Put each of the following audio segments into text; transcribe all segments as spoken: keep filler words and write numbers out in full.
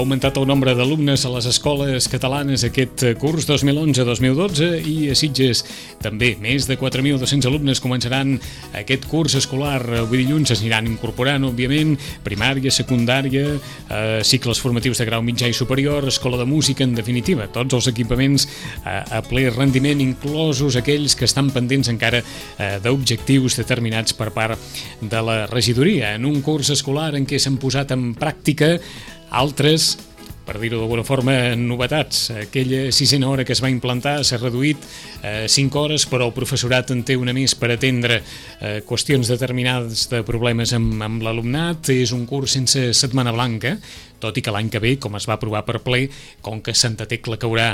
augmentat el nombre d'alumnes a les escoles catalanes aquest curs dos mil onze dos mil dotze i a Sitges també. Més de quatre mil dos-cents alumnes començaran aquest curs escolar. Avui dilluns s'aniran incorporant, òbviament, primària, secundària, eh, cicles formatius de grau mitjà i superior, escola de música, en definitiva, tots els equipaments eh, a ple rendiment, inclosos aquells que estan pendents encara eh, d'objectius determinats per part de la regidoria. En un curs escolar en què s'han posat en pràctica altres, per dir-ho d'alguna forma, novetats. Aquella sisena hora que es va implantar s'ha reduït a cinc hores, però el professorat en té una més per atendre eh, qüestions determinades de problemes amb, amb l'alumnat. És un curs sense setmana blanca, tot i que l'any que ve, com es va aprovar per ple, com que Santa Tecla caurà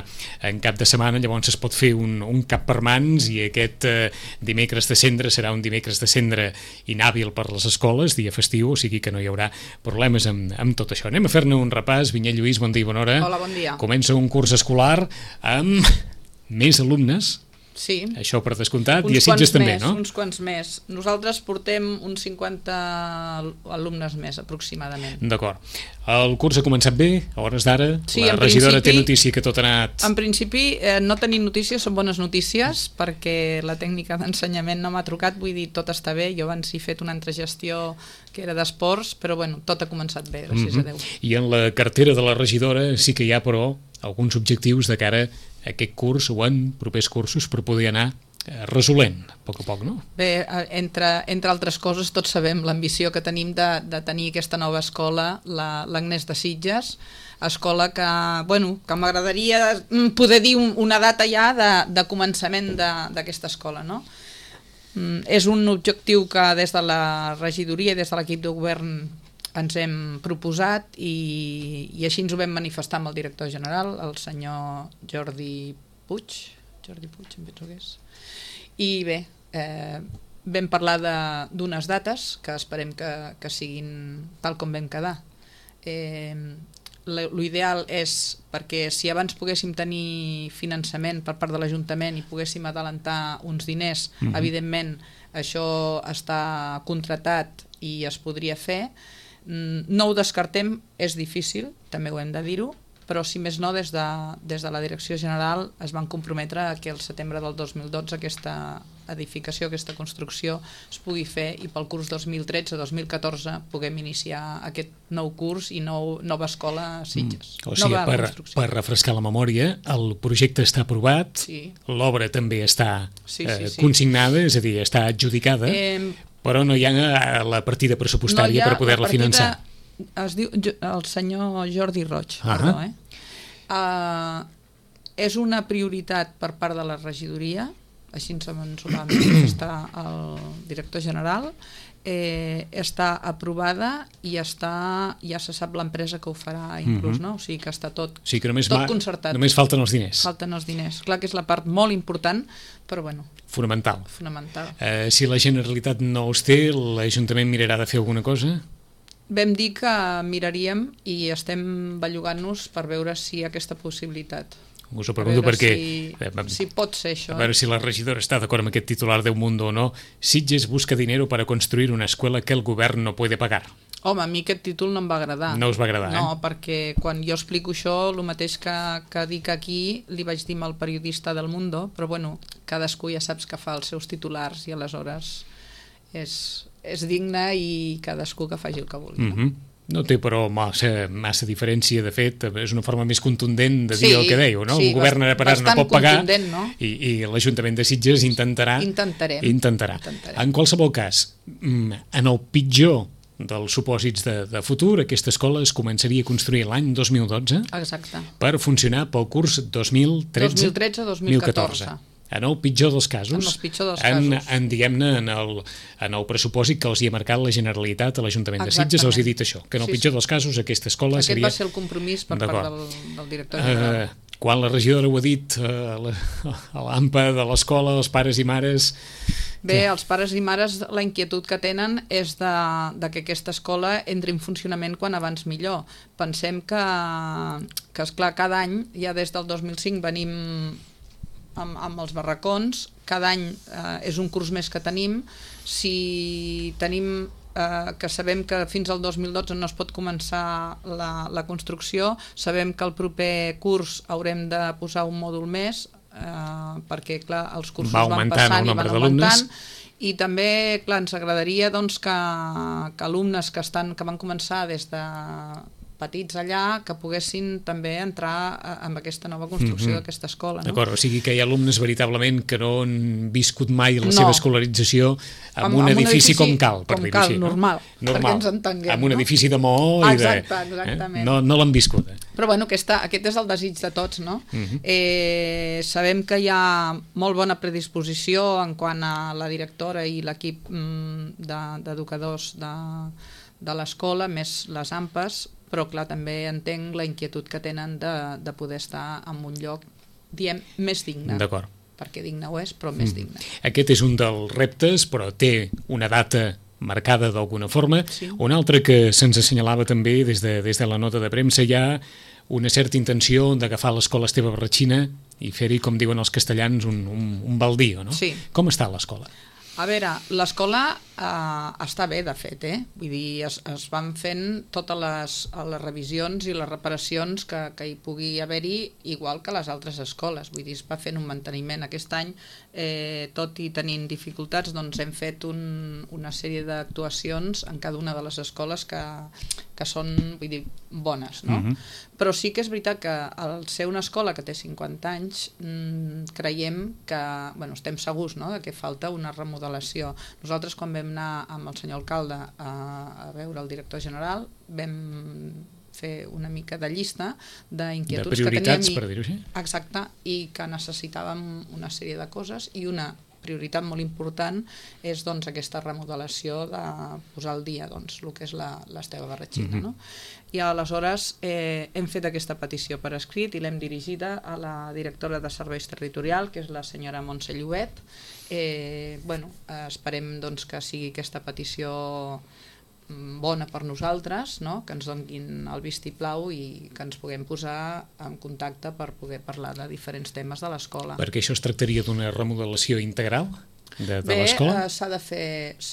en cap de setmana, llavors es pot fer un, un cap per mans i aquest eh, dimecres de cendre serà un dimecres de cendre inhàbil per les escoles, dia festiu, o sigui que no hi haurà problemes amb, amb tot això. Anem a fer-ne un repàs. Vinyet Lluís, bon dia i bona hora. Hola, bon dia. Comença un curs escolar amb més alumnes. Sí. Això per descomptat, uns i a Sitges també, més, no? Uns quants més. Nosaltres portem uns cinquanta alumnes més, aproximadament. D'acord. El curs ha començat bé, a hores d'ara. Sí, la regidora té notícia que tot ha anat... En principi, eh, no tenim notícies, són bones notícies, perquè la tècnica d'ensenyament no m'ha trucat, vull dir, tot està bé. Jo abans he fet una altra gestió que era d'esports, però bueno, tot ha començat bé, gràcies mm-hmm. a Déu. I en la cartera de la regidora sí que hi ha, però, alguns objectius de cara a aquest curs o en propers cursos per poder anar resolent, a poc a poc, no? Bé, entre, entre altres coses, tots sabem l'ambició que tenim de, de tenir aquesta nova escola, l'Agnès de Sitges, escola que, bueno, que m'agradaria poder dir una data ja de, de començament d'aquesta escola, no? És un objectiu que des de la regidoria i des de l'equip de govern ens hem proposat i, i així ens ho vam manifestar amb el director general, el senyor Jordi Puig, Jordi Puig, em penso que és. I bé, eh, vam parlar d'unes dates que esperem que, que siguin tal com vam quedar. Eh, L'ideal és, perquè si abans poguéssim tenir finançament per part de l'Ajuntament i poguéssim adelantar uns diners, mm-hmm. evidentment això està contratat i es podria fer. No ho descartem, és difícil, també ho hem de dir-ho, però si més no, des de, des de la Direcció General es van comprometre que el setembre del dos mil dotze aquesta edificació, aquesta construcció es pugui fer i pel curs dos mil tretze dos mil catorze puguem iniciar aquest nou curs i nou, nova escola a Sitges. Mm. O sigui, per, per refrescar la memòria, el projecte està aprovat, sí. L'obra també està sí, sí, eh, sí. consignada, és a dir, està adjudicada, eh, però no hi ha la partida pressupostària no per poder-la finançar. Es diu el senyor Jordi Roig, ah perdó, eh? Uh, és una prioritat per part de la regidoria, així ens ho va manifestar el director general, eh, està aprovada i està, ja se sap l'empresa que ho farà inclús, uh-huh. no? O sigui que està tot, o sigui que només tot va, concertat. Només falten els diners. Falten els diners. Clar que és la part molt important, però bueno. Fonamental. Fonamental. Eh, si la Generalitat no els té, l'Ajuntament mirarà de fer alguna cosa? Vam dir que miraríem i estem bellugant-nos per veure si hi ha aquesta possibilitat. Us ho pregunto perquè... Si, si pot ser això. A veure si la regidora està d'acord amb aquest titular de Un Mundo o no. Sitges busca dinero para construir una escuela que el govern no puede pagar. Home, a mi aquest títol no em va agradar. No us va agradar, no, eh? No, perquè quan jo explico això, el mateix que, que dic aquí, li vaig dir al periodista del Mundo, però bueno, cadascú ja saps que fa els seus titulars i aleshores és... és digne i cadascú que faci el que vulgui. Mm-hmm. No té, però, massa, massa diferència, de fet, és una forma més contundent de dir sí, el que deieu, no? Sí, el govern ara per ara no pot pagar no? i, i l'Ajuntament de Sitges intentarà... Intentarem. Intentarà. Intentarem. En qualsevol cas, en el pitjor dels supòsits de, de futur, aquesta escola es començaria a construir l'any dos mil dotze. Exacte. Per funcionar pel curs dos mil tretze dos mil catorze. En el pitjor dels casos, en, pitjor dels en, casos. en, diguem-ne, en el, en el pressupòsit que els hi ha marcat la Generalitat a l'Ajuntament de Sitges, els hi ha dit això, que en el sí, pitjor sí. dels casos aquesta escola Aquest seria... Aquest va ser el compromís per part del, del director general. Uh, quan la regidora ho ha dit uh, la, a l'A M P A de l'escola, els pares i mares... Bé, els pares i mares, la inquietud que tenen és de, de que aquesta escola entri en funcionament quan abans millor. Pensem que, que esclar, cada any, ja des del dos mil cinc venim... Amb, amb els barracons, cada any eh, és un curs més que tenim. Si tenim eh, que sabem que fins al dos mil dotze no es pot començar la, la construcció, sabem que el proper curs haurem de posar un mòdul més, eh, perquè clar, els cursos van passant i van augmentant, i també clar, ens agradaria doncs, que, que alumnes que, estan, que van començar des de petits allà, que poguessin també entrar en aquesta nova construcció mm-hmm. d'aquesta escola. No? D'acord, o sigui que hi ha alumnes veritablement que no han viscut mai la no. seva escolarització en un, un edifici, edifici com cal, per dir-ho així. Normal, no? normal, perquè ens entenguem. En un no? edifici de maó i Exacte, de... exactament. Eh? No, no l'han viscut. Eh? Però bueno, aquesta, aquest és el desig de tots, no? Mm-hmm. eh, sabem que hi ha molt bona predisposició en quant a la directora i l'equip mm, d'educadors de, de l'escola, més les AMPAs, però clar, també entenc la inquietud que tenen de, de poder estar en un lloc, diem, més digne. D'acord. Perquè digne ho és, però més mm. digne. Aquest és un dels reptes, però té una data marcada d'alguna forma. Sí. Un altre que se'ns assenyalava també des de, des de la nota de premsa, hi ha una certa intenció d'agafar l'escola Esteve Barratxina i fer-hi, com diuen els castellans, un, un, un baldío, no? Sí. Com està l'escola? A veure, l'escola eh, està bé, de fet, eh? Vull dir, es, es van fent totes les, les revisions i les reparacions que, que hi pugui haver-hi, igual que les altres escoles. Vull dir, es va fent un manteniment. Aquest any, eh, tot i tenint dificultats, doncs hem fet un, una sèrie d'actuacions en cada una de les escoles que, que són, vull dir, bones, no? Mm-hmm. Però sí que és veritat que al ser una escola que té cinquanta anys, mmm, creiem que, bueno, estem segurs, no?, de que falta una remodelació. Nosaltres, quan vam anar amb el senyor alcalde a, a veure el director general, vam fer una mica de llista d'inquietuds que teníem. De prioritats, per dir-ho així? Exacte, i que necessitàvem una sèrie de coses, i una prioritat molt important és doncs, aquesta remodelació de posar al dia doncs, el que és l'Esteve Barratxina. Mm-hmm. No? I aleshores eh, hem fet aquesta petició per escrit i l'hem dirigida a la directora de Serveis Territorial, que és la senyora Montse Llobet. Eh, bueno, esperem doncs, que sigui aquesta petició bona per nosaltres, no? Que ens donin el vistiplau i que ens puguem posar en contacte per poder parlar de diferents temes de l'escola. Perquè això es tractaria d'una remodelació integral de, de Bé, l'escola? Bé, s'ha de fer,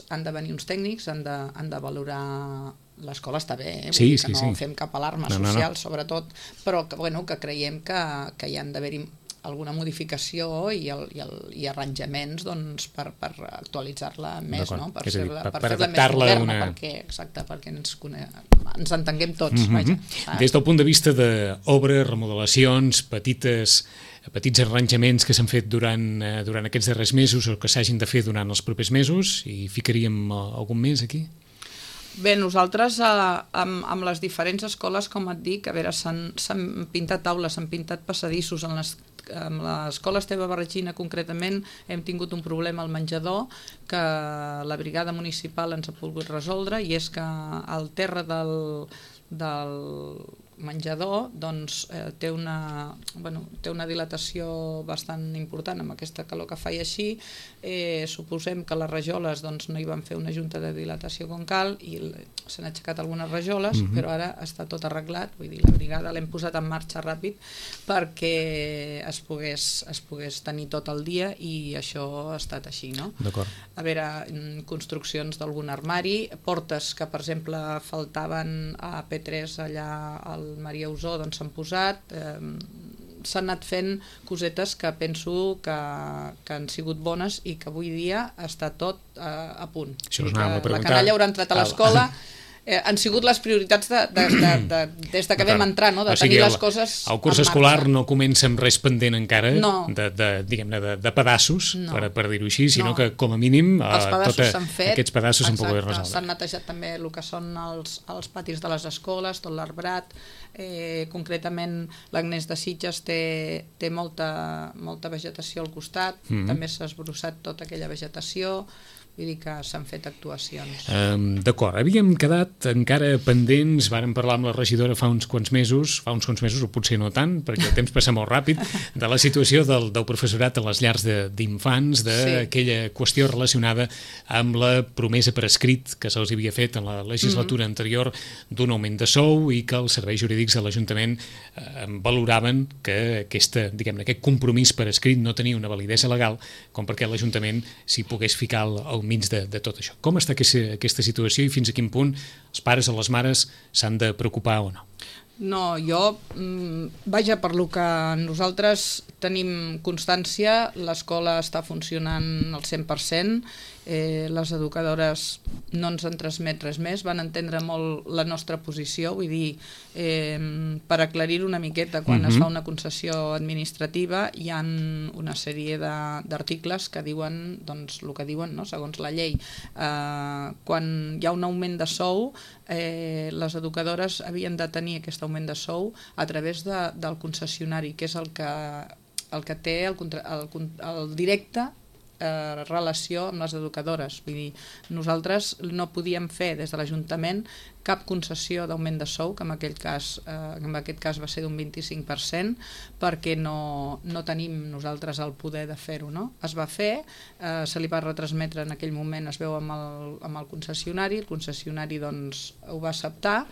han de venir uns tècnics, han de, han de valorar. L'escola està bé, eh? Sí, Vull dir que sí, no sí. fem cap alarma no, social, no, no. sobretot, però que, bueno, que creiem que, que hi han d'haver-hi alguna modificació i, el, i, el, i arranjaments doncs, per, per actualitzar-la més, no? Per fer-la per, per per fer més moderna, una... perquè, exacte, perquè ens, cone... ens entenguem tots. Mm-hmm. Vaja, des del punt de vista d'obres, remodelacions, petites, petits arranjaments que s'han fet durant, durant aquests darrers mesos o que s'hagin de fer durant els propers mesos, i ficaríem algun més aquí? Bé, nosaltres eh, amb, amb les diferents escoles, com et dic, a veure, s'han pintat taules, s'han pintat passadissos. En les, amb l'escola Esteve Barratxina concretament hem tingut un problema al menjador que la brigada municipal ens ha pogut resoldre, i és que el terra del, del menjador doncs, eh, té, una, bueno, té una dilatació bastant important amb aquesta calor que fa, i així eh, suposem que les rajoles doncs, no hi van fer una junta de dilatació com cal i s'han aixecat algunes rajoles, mm-hmm. però ara està tot arreglat, vull dir, la brigada l'hem posat en marxa ràpid perquè es pogués, es pogués tenir tot el dia, i això ha estat així, no? D'acord. A veure, construccions d'algun armari, portes que per exemple faltaven a P tres allà al Maria Usó, doncs s'han posat, eh, s'han anat fent cosetes que penso que, que han sigut bones i que avui dia està tot eh, a punt. Això us anava a preguntar. La canalla haurà entrat a l'escola. Eh, han sigut les prioritats de, de, de, de, des de que vam entrar, no? De o sigui, tenir el, les coses el curs escolar no comença amb res pendent encara, no. de, de, diguem-ne, de, de pedaços, no. per, per dir-ho així, sinó no. que com a mínim els pedassos tota, s'han fet, aquests pedassos s'han pogut resoldre. S'han netejat també el que són els, els patis de les escoles, tot l'arbrat, eh, concretament l'Agnès de Sitges té, té molta, molta vegetació al costat, mm-hmm. també s'ha esbrossat tota aquella vegetació. Vull dir que s'han fet actuacions. Um, D'acord, havíem quedat encara pendents, vàrem parlar amb la regidora fa uns quants mesos, fa uns quants mesos o potser no tant, perquè el temps passa molt ràpid, de la situació del, del professorat a les llars d'infants, d'aquella sí. qüestió relacionada amb la promesa per escrit que se'ls havia fet en la legislatura mm-hmm. anterior d'un augment de sou, i que els serveis jurídics de l'Ajuntament eh, valoraven que aquesta, diguem-ne, aquest compromís per escrit no tenia una validesa legal com perquè l'Ajuntament s'hi pogués ficar el, el al mig de, de tot això. Com està aquesta, aquesta situació i fins a quin punt els pares o les mares s'han de preocupar o no? No, jo, vaja, per lo que nosaltres tenim constància, l'escola està funcionant al cent per cent, eh, les educadores no ens han transmet res més, van entendre molt la nostra posició, vull dir, eh, per aclarir-ho una miqueta, quan uh-huh. es fa una concessió administrativa hi ha una sèrie d'articles que diuen, doncs, el que diuen, no?, segons la llei. Eh, quan hi ha un augment de sou, eh, les educadores havien de tenir aquest augment de sou a través de, del concessionari, que és el que, el que té el, el, el directe eh, relació amb les educadores. Vull dir, nosaltres no podíem fer des de l'Ajuntament cap concessió d'augment de sou, que en, aquell cas, eh, en aquest cas va ser d'un vint-i-cinc per cent, perquè no, no tenim nosaltres el poder de fer-ho, no? Es va fer, eh, se li va retransmetre en aquell moment, es veu amb el, amb el concessionari, el concessionari doncs, ho va acceptar,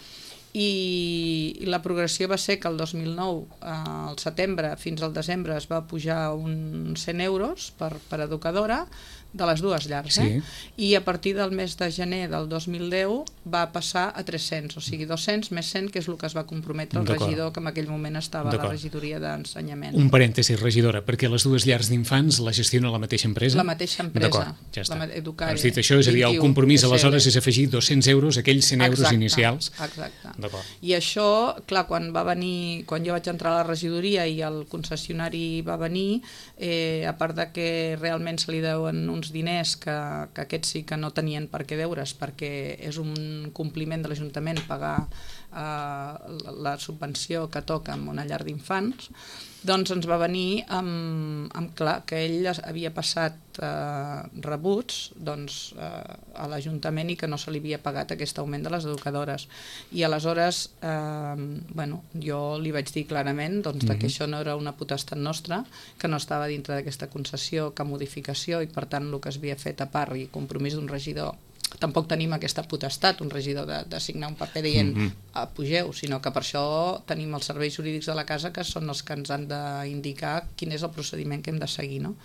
i la progressió va ser que el dos mil nou, eh, al setembre fins al desembre, es va pujar uns cent euros per, per educadora de les dues llars, eh? Sí. I a partir del mes de gener del dos mil deu va passar a tres-cents, o sigui dos-cents més cent, que és el que es va comprometre el regidor, que en aquell moment estava a la regidoria d'ensenyament. Un parèntesi, regidora, perquè les dues llars d'infants la gestiona la mateixa empresa? La mateixa empresa. Ja està. Educare, Has dit això, és a dir, el compromís aleshores és afegir dos-cents euros a aquells cent euros exacte, inicials. Exacte. I això, clar, quan va venir, quan jo vaig entrar a la regidoria i el concessionari va venir, eh, a part de que realment se li deuen uns diners que, que aquests sí que no tenien per què deure's, perquè és un compliment de l'Ajuntament pagar eh, la subvenció que toca en una llar d'infants, doncs ens va venir amb, amb clar que ell havia passat eh, rebuts doncs, eh, a l'Ajuntament i que no se li havia pagat aquest augment de les educadores. I aleshores, eh, bueno, jo li vaig dir clarament doncs, mm-hmm. que això no era una potestat nostra, que no estava dintre d'aquesta concessió, cap modificació, i per tant el que es havia fet a part i compromís d'un regidor, tampoc tenim aquesta potestat, un regidor de, de signar un paper dient mm-hmm. pugeu, sinó que per això tenim els serveis jurídics de la casa, que són els que ens han d'indicar quin és el procediment que hem de seguir, no?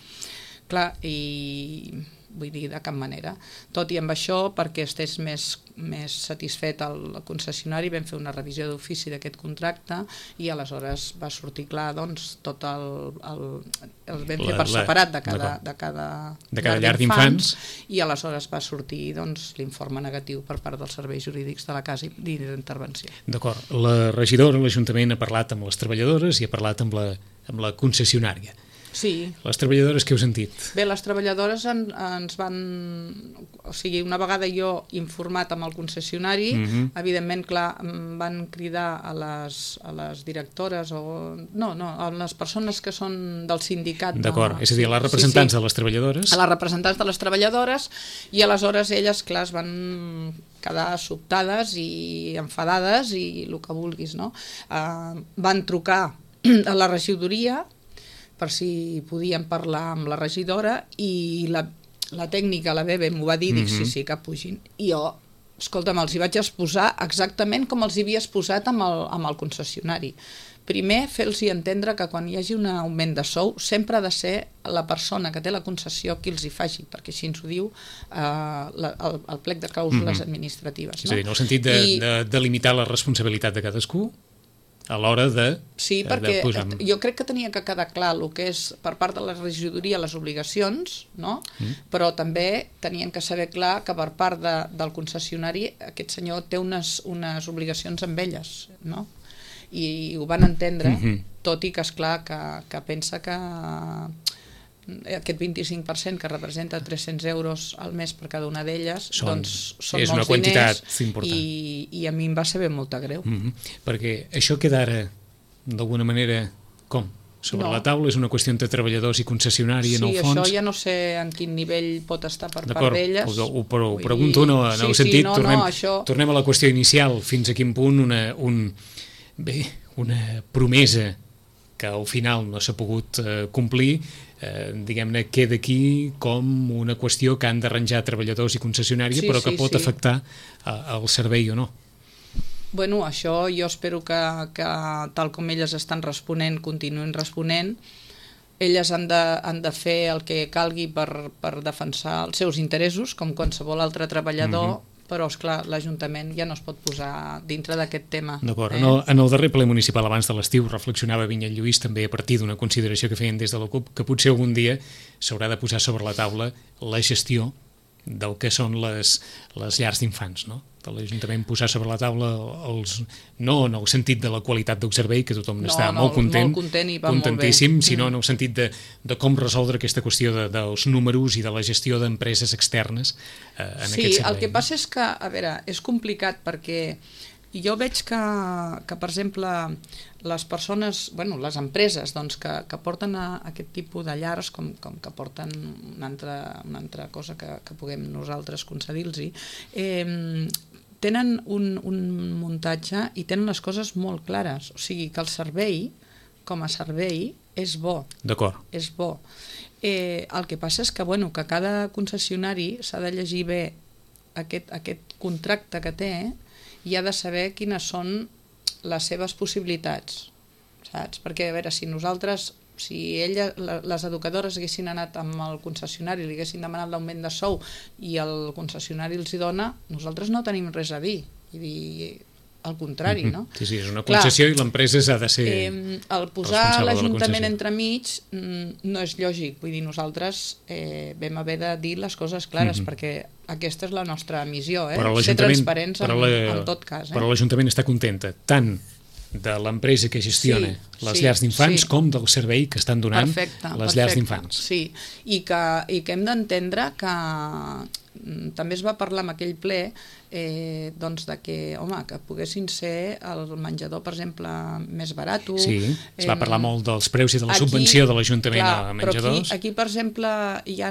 Clar, i vull dir, de cap manera. Tot i amb això, perquè estés més, més satisfet el concessionari, vam fer una revisió d'ofici d'aquest contracte i aleshores va sortir clar, doncs, tot el... el, el vam fer per separat de cada, de cada, de cada llar d'infants, i aleshores va sortir doncs, l'informe negatiu per part dels serveis jurídics de la casa i d'intervenció. D'acord. La regidora, l'Ajuntament, ha parlat amb les treballadores i ha parlat amb la, amb la concessionària. Sí. Les treballadores, què heu sentit? Bé, les treballadores en, ens van... O sigui, una vegada jo informat amb el concessionari, mm-hmm. evidentment, clar, em van cridar a les, a les directores o... No, no, a les persones que són del sindicat. D'acord, no, és a dir, a les representants sí, sí. de les treballadores. A les representants de les treballadores, i aleshores elles, clar, es van quedar sobtades i enfadades i el que vulguis, no? Uh, van trucar a la regidoria per si podien parlar amb la regidora, i la, la tècnica, la Bebe, m'ho va dir, mm-hmm. dic, sí, sí, que pugin. I jo, escolta'm, els hi vaig exposar exactament com els hi havia exposat amb el, amb el concessionari. Primer, fer-los entendre que quan hi hagi un augment de sou sempre ha de ser la persona que té la concessió qui els hi faci, perquè així ens ho diu eh, la, el, el plec de clàusules mm-hmm. administratives. És a dir, en el sentit de, I... de, de limitar la responsabilitat de cadascú a l'hora de... Sí, perquè de jo crec que tenia que quedar clar el que és per part de la regidoria les obligacions, no? Mm. Però també tenien que saber clar que per part de, del concessionari aquest senyor té unes, unes obligacions amb elles, no? I, i ho van entendre, mm-hmm. tot i que és clar que, que pensa que aquest vint-i-cinc per cent que representa tres-cents euros al mes per cada una d'elles, doncs són és molts una quantitat diners important. I, i a mi em va saber molt de greu. Mm-hmm. Perquè això queda ara, d'alguna manera, com? Sobre no. la taula, és una qüestió entre treballadors i concessionari, sí, en el fons? Sí, això ja no sé en quin nivell pot estar per part d'elles. D'acord, però ho pregunto no, en sí, el sentit, sí, no, tornem, no, això... tornem a la qüestió inicial, fins a quin punt una, un, bé, una promesa que al final no s'ha pogut eh, complir, eh, diguem-ne, queda aquí com una qüestió que han d'arranjar treballadors i concessionària, sí, però que sí, pot sí. afectar el servei o no. Bueno, això jo espero que, que tal com elles estan responent, continuïn responent, elles han de, han de fer el que calgui per, per defensar els seus interessos, com qualsevol altre treballador, mm-hmm. però, esclar, l'Ajuntament ja no es pot posar dintre d'aquest tema. D'acord. Eh? En, el, en el darrer ple municipal abans de l'estiu reflexionava Vinyet Lluís també a partir d'una consideració que feien des de la CUP que potser algun dia s'haurà de posar sobre la taula la gestió del que són les, les llars d'infants, no? De l'Ajuntament posar sobre la taula els, no en el sentit de la qualitat del servei, que tothom no, està no, molt content, molt content i va contentíssim, molt bé. sinó en el sentit de, de com resoldre aquesta qüestió de, dels números i de la gestió d'empreses externes eh, en sí, aquest servei. Sí, el que passa és que, a veure, és complicat perquè jo veig que, que per exemple, les persones, bueno, les empreses doncs, que, que porten a aquest tipus de llars, com, com que porten una altra, una altra cosa que, que puguem nosaltres concedir-los, eh, tenen un, un muntatge i tenen les coses molt clares. O sigui, que el servei, com a servei, és bo. D'acord. És bo. Eh, el que passa és que, bueno, que cada concessionari s'ha de llegir bé aquest, aquest contracte que té i ha de saber quines són les seves possibilitats, saps? Perquè, a veure, si nosaltres, si ella, les educadores haguessin anat amb el concessionari, li haguessin demanat l'augment de sou i el concessionari els hi dona, nosaltres no tenim res a dir. Vull dir, al contrari, no? Sí, sí, és una concessió. Clar, i l'empresa s'ha de ser eh, el posar l'Ajuntament entremig no és lògic. Vull dir, nosaltres eh, vam haver de dir les coses clares, mm-hmm. perquè aquesta és la nostra missió, eh? Ser transparents en, la, en tot cas. Eh? Però l'Ajuntament està contenta tant de l'empresa que gestiona sí, les sí, llars d'infants sí. com del servei que estan donant perfecte, les perfecte. llars d'infants. Sí, i que, i que hem d'entendre que també es va parlar en aquell ple eh, doncs de que, home, que poguessin ser el menjador, per exemple, més barat. Sí, es va eh, parlar molt dels preus i de la aquí, subvenció de l'Ajuntament a menjadors. Però aquí, aquí, per exemple, hi ha,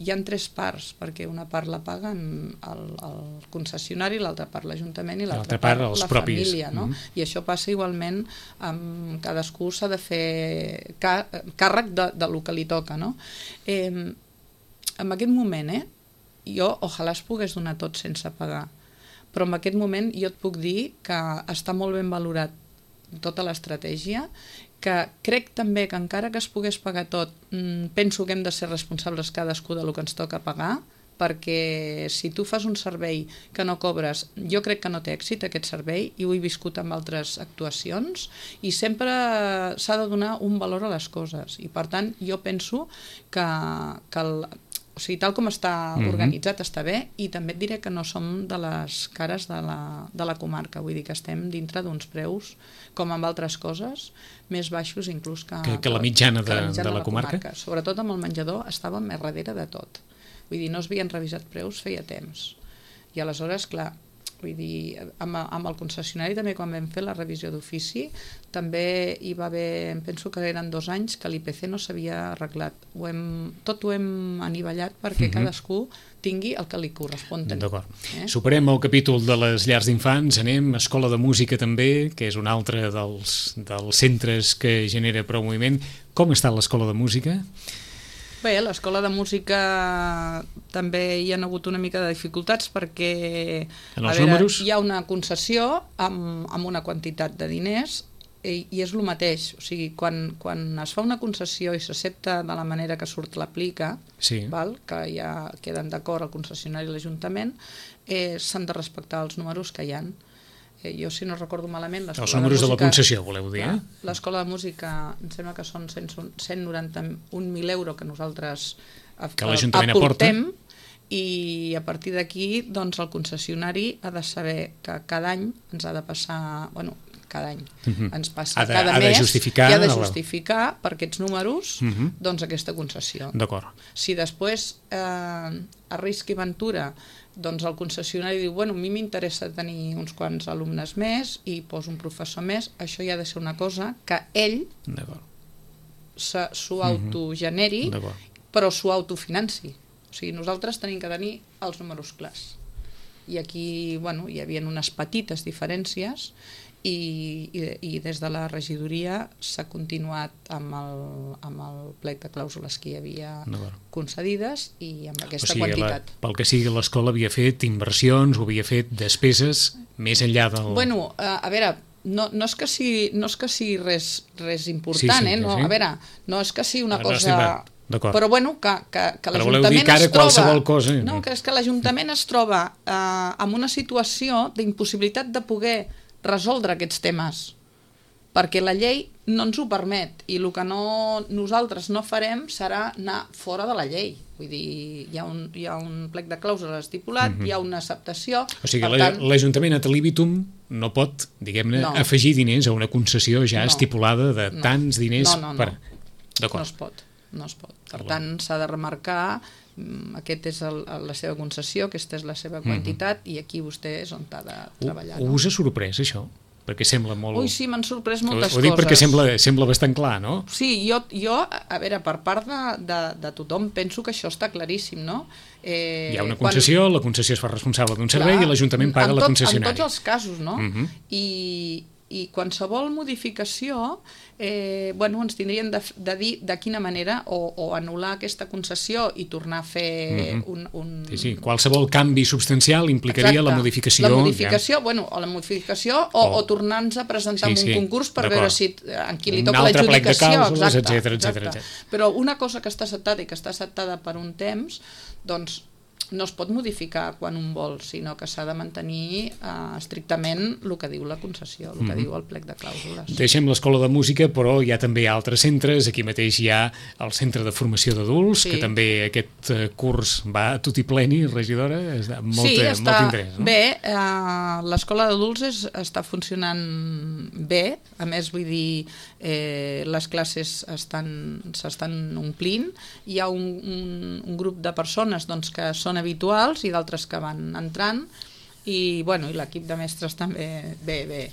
hi ha tres parts, perquè una part la paguen el, el concessionari, l'altra part l'Ajuntament i l'altra part, part la propis. família. No? Mm-hmm. I això passa igualment, amb cadascú s'ha de fer càrrec de, de lo que li toca. No? Eh, en aquest moment, eh, jo ojalà es pogués donar tot sense pagar, però en aquest moment jo et puc dir que està molt ben valorat tota l'estratègia, que crec també que encara que es pogués pagar tot, penso que hem de ser responsables cadascú del que ens toca pagar, perquè si tu fas un servei que no cobres, jo crec que no té èxit aquest servei, i ho he viscut amb altres actuacions, i sempre s'ha de donar un valor a les coses, i per tant jo penso que, que el O sigui, tal com està mm-hmm. organitzat està bé, i també et diré que no som de les cares de la, de la comarca, vull dir que estem dintre d'uns preus, com amb altres coses, més baixos inclús que, que, que la mitjana, de, la, mitjana de la, la comarca. comarca. Sobretot amb el menjador estàvem més darrere de tot. Vull dir, no es havien revisat preus feia temps. I aleshores, clar, vull dir, amb, amb el concessionari també quan vam fer la revisió d'ofici també hi va haver, em penso que eren dos anys que l'I P C no s'havia arreglat. Ho hem, tot ho hem anivellat perquè mm-hmm. cadascú tingui el que li correspon tenir. D'acord. Eh? Superem el capítol de les llars d'infants, anem a Escola de Música també, que és un altre dels, dels centres que genera prou moviment. Com està l'Escola de Música? Bé, a l'Escola de Música també hi ha hagut una mica de dificultats perquè en els a veure, números? Hi ha una concessió amb, amb una quantitat de diners i, i és el mateix. O sigui, quan, quan es fa una concessió i s'accepta de la manera que surt l'aplica, sí. val, que ja queden d'acord el concessionari i l'Ajuntament, eh, s'han de respectar els números que hi ha. Jo, si no recordo malament... Els números de, música, de la concessió, voleu dir, eh? L'Escola de Música, em sembla que són cent noranta-un mil euros que nosaltres que l'Ajuntament aporta, i a partir d'aquí, doncs, el concessionari ha de saber que cada any ens ha de passar... Bueno, cada any uh-huh. ens passa ha de, cada ha mes de justificar, i ha de justificar la... per aquests números uh-huh. doncs aquesta concessió. D'acord. Si després eh, a risc i ventura doncs el concessionari diu, bueno, a mi m'interessa tenir uns quants alumnes més i poso un professor més, això ja ha de ser una cosa que ell s'ho autogeneri, però s'ho autofinanci. O sigui, nosaltres tenim que tenir els números clars. I aquí, bueno, hi havia unes petites diferències i, i, i des de la regidoria s'ha continuat amb el, amb el plec de clàusules que hi havia concedides i amb aquesta o sigui, quantitat. La, pel que sigui, l'escola havia fet inversions o havia fet despeses més enllà del... Bueno, a, a veure, no, no, és que sigui, no és que sigui res, res important, sí, sí, eh? No, sí. a veure, no és que sigui una no, cosa... No però bueno, que, que, que l'Ajuntament es troba... Cosa, no, que és que l'Ajuntament es troba eh, en una situació d'impossibilitat de poder resoldre aquests temes, perquè la llei no ens ho permet, i el que no, nosaltres no farem serà anar fora de la llei. Vull dir, hi ha un, hi ha un plec de clàusules estipulat, mm -hmm. hi ha una acceptació... O sigui, l'Ajuntament ad libitum no pot, diguem-ne, no. afegir diners a una concessió ja no. estipulada de no. tants diners... No, no, no. Per... No es pot, no es pot. Per tant, s'ha de remarcar, aquest és el, la seva concessió, aquesta és la seva quantitat, mm -hmm. i aquí vostè és on ha de treballar. U, no? Us ha sorprès, això? Perquè sembla molt... Ui, sí, m'han sorprès moltes coses. Ho dic coses. Perquè sembla, sembla bastant clar, no? Sí, jo, jo a veure, per part de, de, de tothom penso que això està claríssim, no? Eh, Hi ha una concessió, quan... la concessió es fa responsable d'un servei clar, i l'Ajuntament paga tot, la concessionària. En tots els casos, no? Uh -huh. I, I qualsevol modificació, eh, bueno, ens tindrien de, de dir de quina manera, o, o anul·lar aquesta concessió i tornar a fer uh -huh. un... un... Sí, sí, qualsevol canvi substancial implicaria Exacte. la modificació... La modificació, ja. bueno, o la modificació, o, o, o tornar-nos a presentar sí, sí, un concurs per veure si en qui li toca l'adjudicació, etcètera, etcètera. Però una cosa que està acceptada i que està acceptada per un temps, doncs no es pot modificar quan un vol, sinó que s'ha de mantenir eh, estrictament el que diu la concessió, el que mm-hmm. diu el plec de clàusules. Deixem l'escola de música, però hi ha també altres centres. Aquí mateix hi ha el centre de formació d'adults, sí. que també aquest eh, curs va a tot i pleni, regidora, amb molt, sí, està molt interès. No? Bé, eh, l'escola d'adults està funcionant bé, a més, vull dir, eh, les classes s'estan omplint, hi ha un, un, un grup de persones doncs, que són habituals i d'altres que van entrant, i, bueno, i l'equip de mestres també, bé, bé,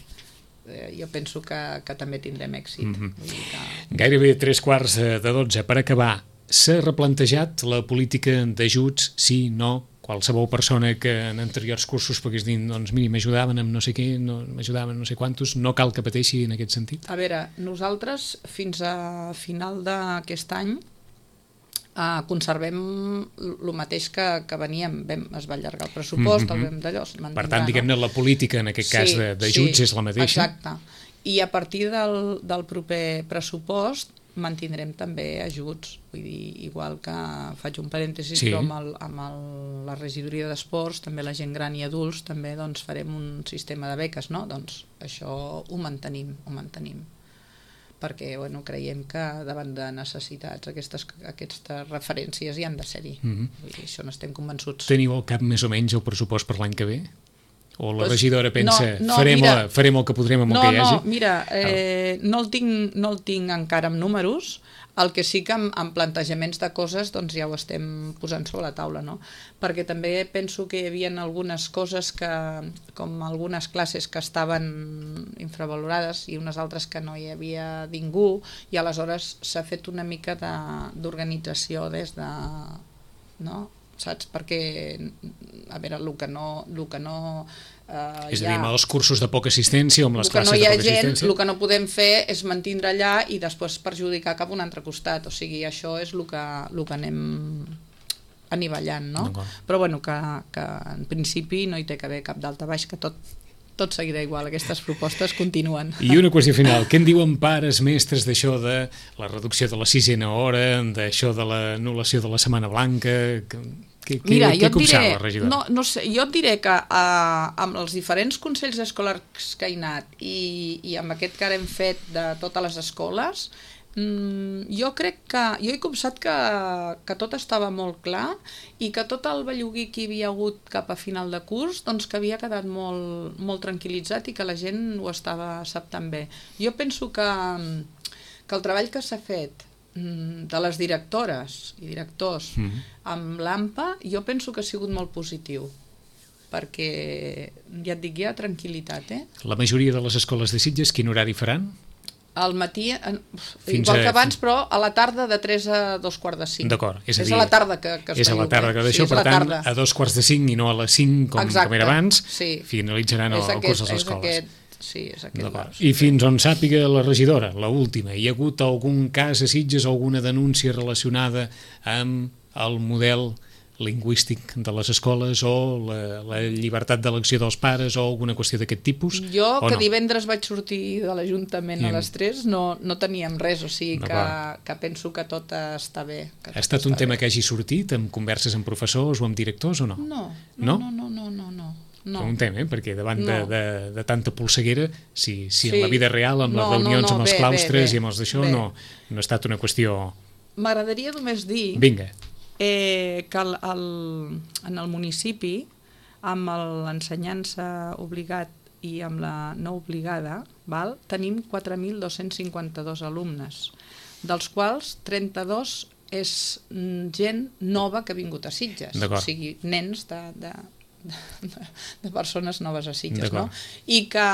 eh, jo penso que, que també tindrem èxit. Mm-hmm. Vull dir que... Gairebé tres quarts de dotze. Per acabar, s'ha replantejat la política d'ajuts, sí, no? Qualsevol persona que en anteriors cursos pogués dir, doncs miri, m'ajudaven amb no sé què, no, m'ajudaven no sé quantos, no cal que pateixi en aquest sentit? A veure, nosaltres fins a final d'aquest any Uh, conservem el mateix que, que veníem, vam, es va allargar el pressupost, mm-hmm. el vam d'allò. Per tant, diguem-ne, no? La política en aquest sí, cas d'ajuts sí, és la mateixa. Exacte. I a partir del, del proper pressupost mantindrem també ajuts, vull dir, igual que faig un parèntesis, sí. però amb, el, amb el, la regidoria d'esports, també la gent gran i adults, també doncs, farem un sistema de beques, no? Doncs això ho mantenim, ho mantenim. perquè bueno, creiem que davant de necessitats aquestes, aquestes referències hi han de ser-hi. Mm-hmm. Vull dir, això n'estem convençuts. Teniu al cap més o menys el pressupost per l'any que ve? O la pues, regidora pensa, no, no, farem, mira, la, farem el que podrem amb no, el que hi hagi? No, mira, eh, no, el tinc, no el tinc encara amb números, el que sí que amb, amb plantejaments de coses doncs ja ho estem posant sobre la taula, no? Perquè també penso que hi havia algunes coses que, com algunes classes que estaven infravalorades i unes altres que no hi havia ningú, i aleshores s'ha fet una mica d'organització des de... no? Saps? Perquè, a veure, el que no... El que no eh, és a dir, amb els cursos de poca assistència o amb les classes no de poca gent, assistència? El que no podem fer és mantindre allà i després perjudicar cap a un altre costat. O sigui, això és el que, el que anem anivellant, no? Però, bueno, que, que en principi no hi té que haver cap dalt a baix, que tot... tot seguirà igual, aquestes propostes continuen. I una qüestió final, què en diuen pares, mestres d'això de la reducció de la sisena hora, d'això de l'anul·lació de la Setmana Blanca? Què, Mira, què, què diré, la regidora? No, no sé, jo et diré que uh, amb els diferents consells escolars que he anat i, i amb aquest que ara hem fet de totes les escoles, mm, jo crec que, jo he copsat que, que tot estava molt clar i que tot el bellugui que hi havia hagut cap a final de curs, doncs que havia quedat molt, molt tranquil·litzat i que la gent ho estava acceptant bé. Jo penso que, que el treball que s'ha fet de les directores i directors mm-hmm. amb l'AMPA, jo penso que ha sigut molt positiu, perquè ja et dic, hi ha tranquil·litat. Eh? La majoria de les escoles de Sitges, quin horari faran? Al matí, Fins igual a... que abans, però a la tarda de tres a dos quarts de cinc. D'acord, és a dir, és a la tarda que, que es és a la tarda que d'això, sí, per tant, a dos quarts de cinc i no a les cinc, com, com era abans, sí. finalitzaran el, el curs de les escoles. Aquest, sí, és aquest. I fins on sàpiga la regidora, la última, hi ha hagut algun cas a Sitges, alguna denúncia relacionada amb el model lingüístic de les escoles o la, la llibertat d'elecció dels pares o alguna qüestió d'aquest tipus? Jo, que no? divendres vaig sortir de l'Ajuntament a les tres, no, no teníem res, o sigui que, que penso que tot està bé. Que ha estat un tema bé. Que hagi sortit amb converses amb professors o amb directors o no? No, no, no, no, no, no. no. No. Un tema, eh? Perquè davant no. de, de, de tanta polseguera, si, si sí. en la vida real, amb no, les reunions, no, no, amb els bé, claustres bé, bé, i amb els d'això, no, no ha estat una qüestió... M'agradaria només dir Vinga. Eh, que el, el, en el municipi, amb l'ensenyança obligat i amb la no obligada, val, tenim quatre mil dos-cents cinquanta-dos alumnes, dels quals trenta-dos és gent nova que ha vingut a Sitges, o sigui, nens de... de De, de persones noves a Sitges, no? I que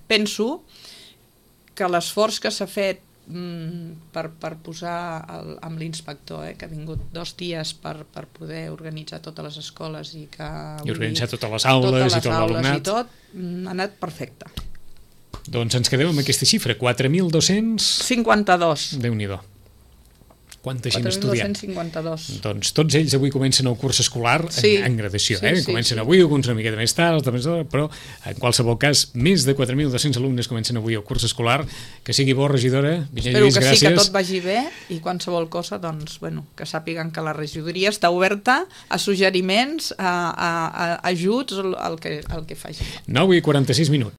penso que l'esforç que s'ha fet mm, per, per posar el, amb l'inspector, eh, que ha vingut dos dies per, per poder organitzar totes les escoles i que... I organitzar dir, totes les aules totes les i tot l'alumnat. I tot, mm, ha anat perfecte. Doncs ens quedem amb aquesta xifra, quatre mil dos-cents... cinquanta-dos. Déu-n'hi-do. Quanta gent estudiant. quatre mil dos-cents cinquanta-dos. Doncs tots ells avui comencen el curs escolar sí. en, en gradació, sí, eh? Sí, comencen sí. avui, alguns una miqueta més tard, altres més d'hora, però en qualsevol cas, més de quatre mil dos-cents alumnes comencen avui el curs escolar. Que sigui bo, regidora. Vinyet Espero Lluís, que gràcies. sí, que tot vagi bé i qualsevol cosa, doncs, bueno, que sàpiguen que la regidoria està oberta a suggeriments, a, a, a ajuts, el que, el que faci. nou i quaranta-sis minuts.